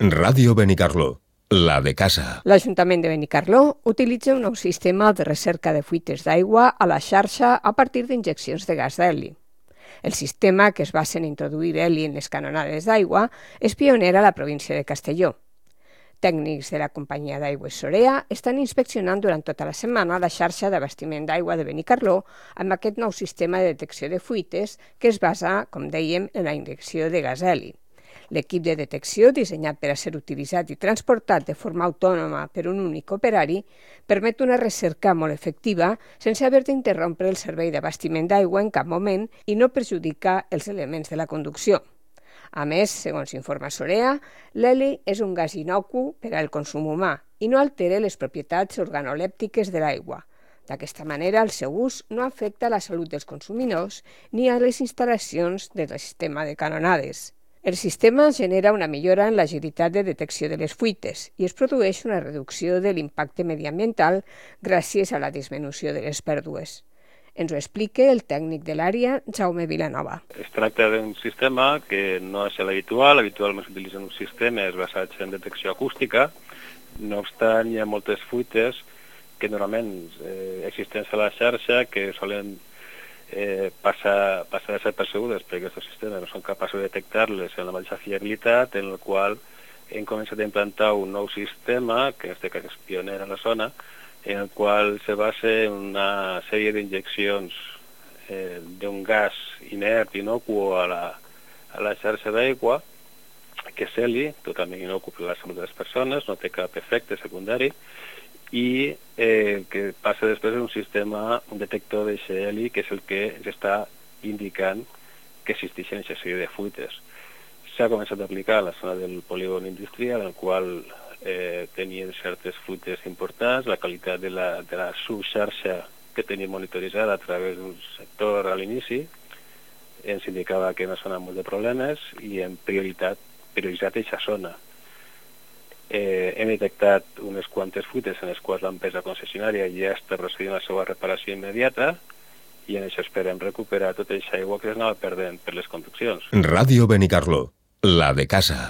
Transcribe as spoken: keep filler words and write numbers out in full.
Ràdio Benicarló, la de casa. L'Ajuntament de Benicarló utilitza un nou sistema de recerca de fuites d'aigua a la xarxa a partir d'injeccions de gas d'heli. El sistema, que es basa en introduir heli en les canonades d'aigua, és pioner a la província de Castelló. Tècnics de la companyia d'aigües Sorea estan inspeccionant durant tota la setmana la xarxa d'abastiment d'aigua de Benicarló amb aquest nou sistema de detecció de fuites que es basa, com dèiem, en la injecció de gas heli. L'equip de detecció, dissenyat per a ser utilitzat i transportat de forma autònoma per un únic operari, permet una recerca molt efectiva sense haver d'interrompre el servei d'abastiment d'aigua en cap moment i no perjudica els elements de la conducció. A més, segons informa Sorea, l'heli és un gas inocu per al consum humà i no altera les propietats organolèptiques de l'aigua. D'aquesta manera, el seu ús no afecta la salut dels consumidors ni a les instal·lacions del sistema de canonades. El sistema genera una millora en l'agilitat de detecció de les fuites i es produeix una reducció de l'impacte mediambiental gràcies a la disminució de les pèrdues. Ens ho explica el tècnic de l'àrea, Jaume Vilanova. Es tracta d'un sistema que no és l'habitual. Habitualment s'utilitzen uns sistemes basats en detecció acústica. No obstant, hi ha moltes fuites que normalment eh, existents a la xarxa que solen eh, passar, passar desapercebudes perquè aquests sistemes no són capaços de detectar-les en la mateixa fiabilitat, en el qual hem començat a implantar un nou sistema, que en aquest cas és pioner a la zona, en el qual se basa en una sèrie d'injeccions eh, d'un gas inert, inocuo a la, a la xarxa d'aigua, que és heli, totalment inocu per la salut de les persones, no té cap efecte secundari, i eh, que passa després un sistema, un detector d'aquest heli, que és el que ens està indicant que existeixen aquesta sèrie de fuites. S'ha començat a aplicar a la zona del polígon industrial, en el qual eh, tenien certes fuites importants, la qualitat de la, de la subxarxa que tenim monitoritzada a través d'un sector a l'inici ens indicava que en una zona molt de problemes i hem prioritat, prioritzat aquesta zona. Eh, hem detectat unes quantes fuites en les quals l'empresa concessionària ja està procedint a la seva reparació immediata i en això esperem recuperar tota aquesta aigua que es anava perdent per les conduccions. Ràdio Benicarló, la de casa.